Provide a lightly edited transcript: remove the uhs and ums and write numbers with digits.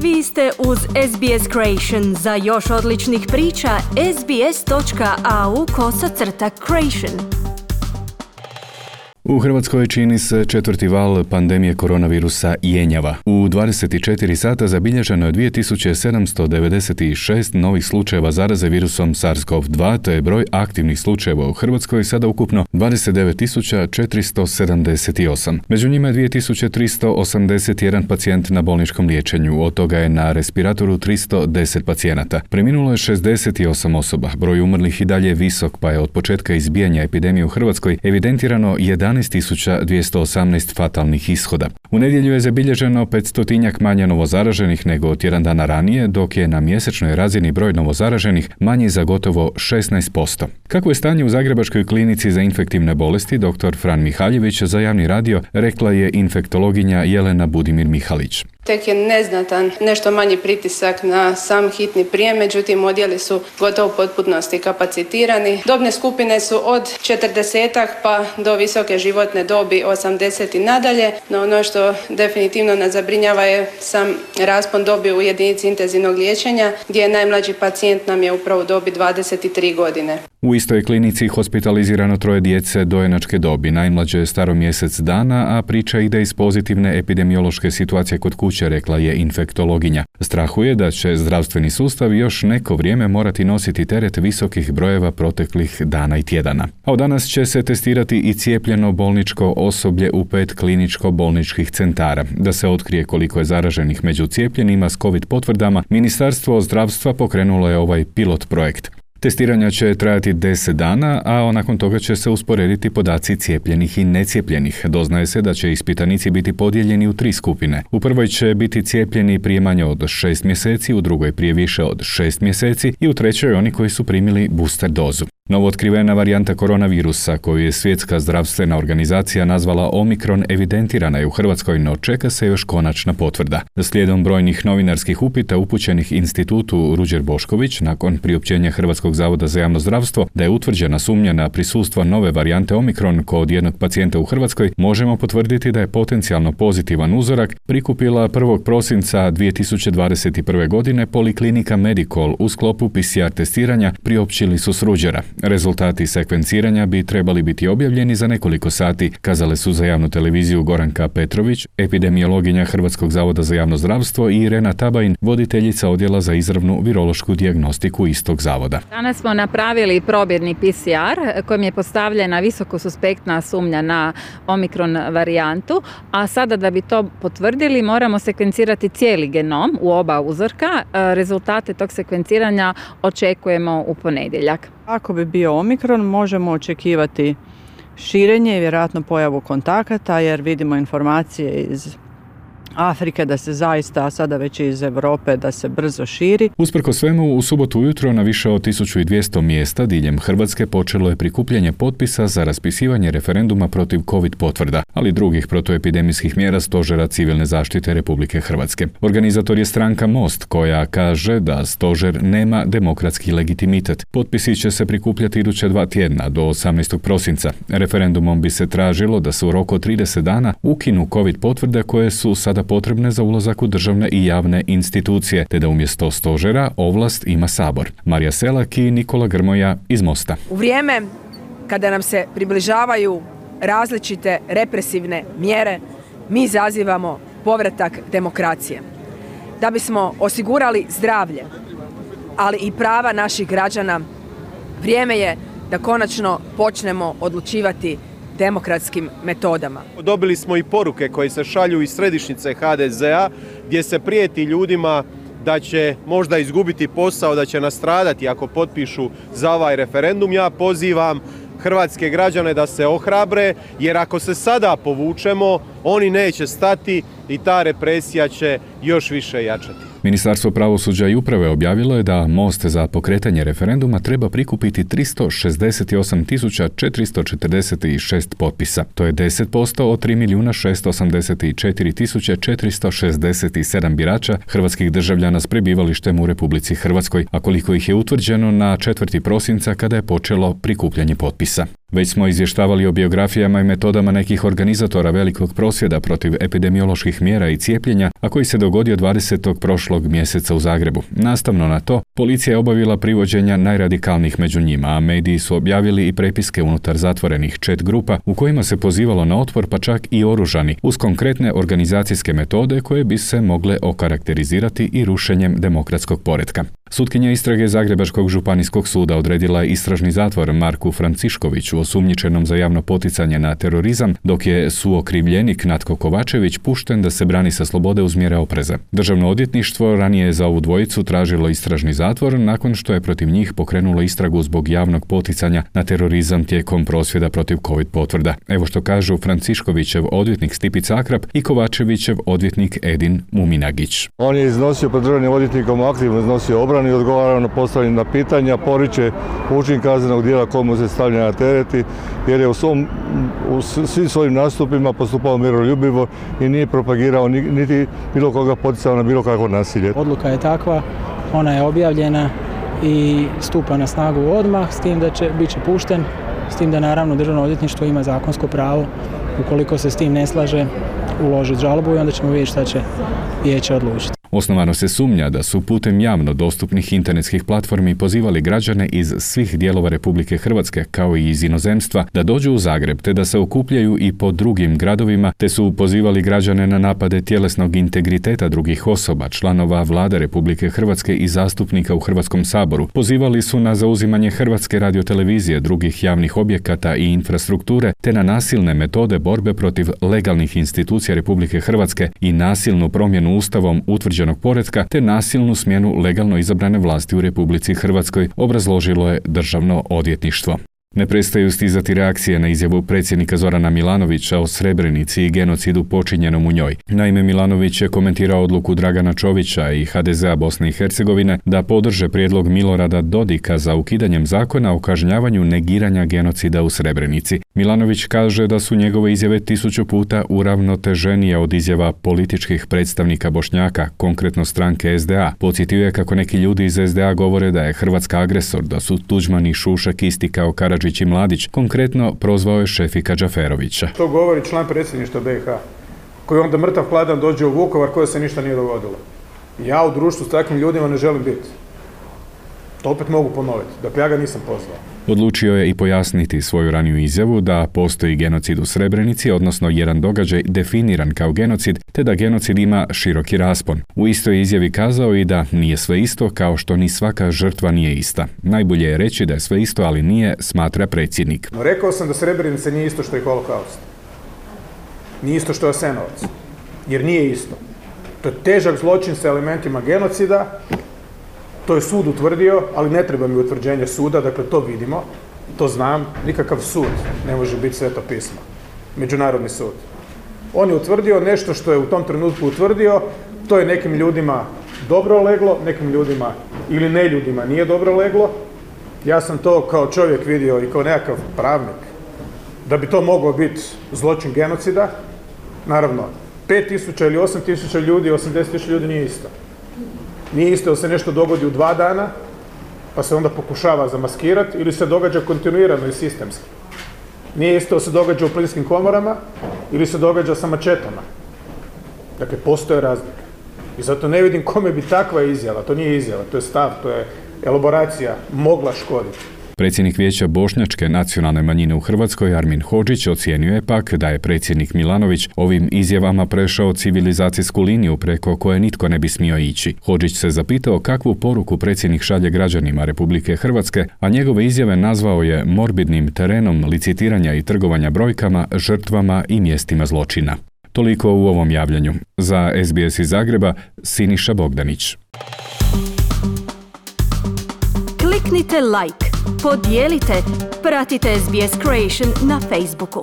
Vi ste uz SBS Creation. Za još odličnih priča, sbs.au/creation. U Hrvatskoj čini se četvrti val pandemije koronavirusa jenjava. U 24 sata zabilježeno je 2796 novih slučajeva zaraze virusom SARS-CoV-2, te je broj aktivnih slučajeva u Hrvatskoj sada ukupno 29.478. Među njima je 2381 pacijent na bolničkom liječenju, od toga je na respiratoru 310 pacijenata. Preminulo je 68 osoba. Broj umrlih i dalje je visok, pa je od početka izbijanja epidemije u Hrvatskoj evidentirano 11.218 fatalnih ishoda. U nedjelju je zabilježeno 500-tinjak manje novozaraženih nego tjedan dana ranije, dok je na mjesečnoj razini broj novozaraženih manji za gotovo 16%. Kako je stanje u Zagrebačkoj klinici za infektivne bolesti, dr. Fran Mihaljević za javni radio rekla je infektologinja Jelena Budimir Mihalić. Tek je neznatan, nešto manji pritisak na sam hitni prijem, međutim odjeli su gotovo u potpunosti kapacitirani. Dobne skupine su od 40-ak pa do visoke životne dobi 80 i nadalje, no ono što definitivno nas zabrinjava je sam raspon dobi u jedinici intenzivnog liječenja, gdje je najmlađi pacijent nam je upravo u dobi 23 godine. U istoj klinici hospitalizirano 3 djece dojenačke dobi, najmlađe je staro mjesec dana, a priča ide iz pozitivne epidemiološke situacije kod kuće, rekla je infektologinja. Strahuje da će zdravstveni sustav još neko vrijeme morati nositi teret visokih brojeva proteklih dana i tjedana. A od danas će se testirati i cijepljeno bolničko osoblje u 5 kliničko-bolničkih centara. Da se otkrije koliko je zaraženih među cijepljenima s COVID potvrdama, Ministarstvo zdravstva pokrenulo je ovaj pilot projekt. Testiranja će trajati 10 dana, a nakon toga će se usporediti podaci cijepljenih i necijepljenih. Doznaje se da će ispitanici biti podijeljeni u 3 skupine. U prvoj će biti cijepljeni prije manje od 6 mjeseci, u drugoj prije više od 6 mjeseci i u trećoj oni koji su primili booster dozu. Novootkrivena varijanta koronavirusa, koju je Svjetska zdravstvena organizacija nazvala Omikron, evidentirana je u Hrvatskoj, no čeka se još konačna potvrda. Slijedom brojnih novinarskih upita upućenih institutu Ruđer Bošković, nakon priopćenja Hrvatskog zavoda za javno zdravstvo da je utvrđena sumnja na prisustvo nove varijante Omikron kod jednog pacijenta u Hrvatskoj, možemo potvrditi da je potencijalno pozitivan uzorak prikupila 1. prosinca 2021. godine Poliklinika Medikol u sklopu PCR testiranja, priopćili su s Ruđera. Rezultati sekvenciranja bi trebali biti objavljeni za nekoliko sati, kazale su za javnu televiziju Goranka Petrović, epidemiologinja Hrvatskog zavoda za javno zdravstvo, i Irena Tabajin, voditeljica odjela za izravnu virološku dijagnostiku istog zavoda. Danas smo napravili probirni PCR kojim je postavljena visoko suspektna sumnja na Omikron varijantu, a sada da bi to potvrdili moramo sekvencirati cijeli genom u oba uzorka. Rezultate tog sekvenciranja očekujemo u ponedjeljak. Ako bi bio Omikron, možemo očekivati širenje i vjerojatno pojavu kontakata, jer vidimo informacije iz Afrike da se zaista, sada već iz Europe, da se brzo širi. Usprkos svemu, u subotu ujutro na više od 1200 mjesta diljem Hrvatske počelo je prikupljanje potpisa za raspisivanje referenduma protiv COVID potvrda, ali i drugih protuepidemijskih mjera Stožera civilne zaštite Republike Hrvatske. Organizator je stranka Most, koja kaže da stožer nema demokratski legitimitet. Potpisi će se prikupljati iduća 2 tjedna do 18. prosinca. Referendumom bi se tražilo da se u roku od 30 dana ukinu COVID potvrde koje su sada potrebne za ulazak u državne i javne institucije, te da umjesto stožera ovlast ima Sabor. Marija Selak i Nikola Grmoja iz Mosta. U vrijeme kada nam se približavaju različite represivne mjere, mi zazivamo povratak demokracije. Da bismo osigurali zdravlje, ali i prava naših građana, vrijeme je da konačno počnemo odlučivati demokratskim metodama. Dobili smo i poruke koje se šalju iz središnjice HDZ-a gdje se prijeti ljudima da će možda izgubiti posao, da će nastradati ako potpišu za ovaj referendum. Ja pozivam hrvatske građane da se ohrabre, jer ako se sada povučemo, oni neće stati i ta represija će još više jačati. Ministarstvo pravosuđa i uprave objavilo je da Most za pokretanje referenduma treba prikupiti 368.446 potpisa. To je 10% od 3.684.467 birača hrvatskih državljana s prebivalištem u Republici Hrvatskoj, a koliko ih je utvrđeno na 4. prosinca kada je počelo prikupljanje potpisa. Već smo izvještavali o biografijama i metodama nekih organizatora velikog prosvjeda protiv epidemioloških mjera i cijepljenja, a koji se dogodio 20. prošlog mjeseca u Zagrebu. Nastavno na to, policija je obavila privođenja najradikalnijih među njima, a mediji su objavili i prepiske unutar zatvorenih chat grupa u kojima se pozivalo na otpor, pa čak i oružani, uz konkretne organizacijske metode koje bi se mogle okarakterizirati i rušenjem demokratskog poretka. Sutkinja istrage Zagrebačkog županijskog suda odredila je istražni zatvor Marku Franciškoviću, osumnjičenom za javno poticanje na terorizam, dok je suokrivljenik Natko Kovačević pušten da se brani sa slobode uz mjere opreza. Državno odvjetništvo ranije je za ovu dvojicu tražilo istražni zatvor nakon što je protiv njih pokrenulo istragu zbog javnog poticanja na terorizam tijekom prosvjeda protiv COVID potvrda. Evo što kažu Franciškovićev odvjetnik Stipica Akrap i Kovačevićev odvjetnik Edin Muminagić. On je iznosio pred državnim odvjetnikom, aktivno iznosio obranu i odgovarao na postavljena pitanja, poriče učin kaznenog djela komu se stavlja na tereti, jer je u svim svojim nastupima postupao miroljubivo i nije propagirao niti bilo koga poticao na bilo kakvo nasilje. Odluka je takva, ona je objavljena i stupa na snagu odmah, s tim da bit će pušten, s tim da naravno Državno odvjetništvo ima zakonsko pravo, ukoliko se s tim ne slaže, uložiti žalbu i onda ćemo vidjeti šta će vijeće odlučiti. Osnovano se sumnja da su putem javno dostupnih internetskih platformi pozivali građane iz svih dijelova Republike Hrvatske, kao i iz inozemstva, da dođu u Zagreb te da se okupljaju i po drugim gradovima, te su pozivali građane na napade tjelesnog integriteta drugih osoba, članova Vlade Republike Hrvatske i zastupnika u Hrvatskom saboru. Pozivali su na zauzimanje Hrvatske radiotelevizije, drugih javnih objekata i infrastrukture, te na nasilne metode borbe protiv legalnih institucija Republike Hrvatske i nasilnu promjenu ustavom utvrđenog poretka te nasilnu smjenu legalno izabrane vlasti u Republici Hrvatskoj, obrazložilo je Državno odvjetništvo. Ne prestaju stizati reakcije na izjavu predsjednika Zorana Milanovića o Srebrenici i genocidu počinjenom u njoj. Naime, Milanović je komentirao odluku Dragana Čovića i HDZ-a Bosne i Hercegovine da podrže prijedlog Milorada Dodika za ukidanjem zakona o kažnjavanju negiranja genocida u Srebrenici. Milanović kaže da su njegove izjave 1000 puta uravnoteženije od izjava političkih predstavnika Bošnjaka, konkretno stranke SDA. Podsjetio je kako neki ljudi iz SDA govore da je Hrvatska agresor, da su Tuđman i Šušak isti kao Karadžić i Mladić. Konkretno prozvao je Šefika Džaferovića. To govori član predsjedništva BiH, koji onda mrtav hladan dođe u Vukovar koje se ništa nije dogodilo. Ja u društvu s takvim ljudima ne želim biti. To opet mogu ponoviti, dakle ja ga nisam pozvao. Odlučio je i pojasniti svoju raniju izjavu da postoji genocid u Srebrenici, odnosno jedan događaj definiran kao genocid, te da genocid ima široki raspon. U istoj izjavi kazao i da nije sve isto, kao što ni svaka žrtva nije ista. Najbolje je reći da je sve isto, ali nije, smatra predsjednik. No, rekao sam da Srebrenica nije isto što je holokaust. Nije isto što je Jasenovac. Jer nije isto. To je težak zločin sa elementima genocida. To je sud utvrdio, ali ne treba mi utvrđenje suda, dakle to vidimo, to znam, nikakav sud ne može biti Sveto pismo, međunarodni sud. On je utvrdio nešto što je u tom trenutku utvrdio, to je nekim ljudima dobro leglo, nekim ljudima ili ne ljudima nije dobro leglo. Ja sam to kao čovjek vidio i kao nekakav pravnik, da bi to moglo biti zločin genocida. Naravno, 5000 ili 8000 ljudi, 80.000 ljudi nije isto. Nije isto da se nešto dogodi u 2 dana, pa se onda pokušava zamaskirati, ili se događa kontinuirano i sistemski. Nije isto da se događa u plinskim komorama, ili se događa sa mačetama. Dakle, postoje razlike. I zato ne vidim kome bi takva izjava, to nije izjava, to je stav, to je elaboracija, mogla škoditi. Predsjednik Vijeća bošnjačke nacionalne manjine u Hrvatskoj, Armin Hodžić, ocijenio je pak da je predsjednik Milanović ovim izjavama prešao civilizacijsku liniju preko koje nitko ne bi smio ići. Hodžić se zapitao kakvu poruku predsjednik šalje građanima Republike Hrvatske, a njegove izjave nazvao je morbidnim terenom licitiranja i trgovanja brojkama, žrtvama i mjestima zločina. Toliko u ovom javljanju. Za SBS iz Zagreba, Siniša Bogdanić. Kliknite like, podijelite, pratite SBS Creation na Facebooku.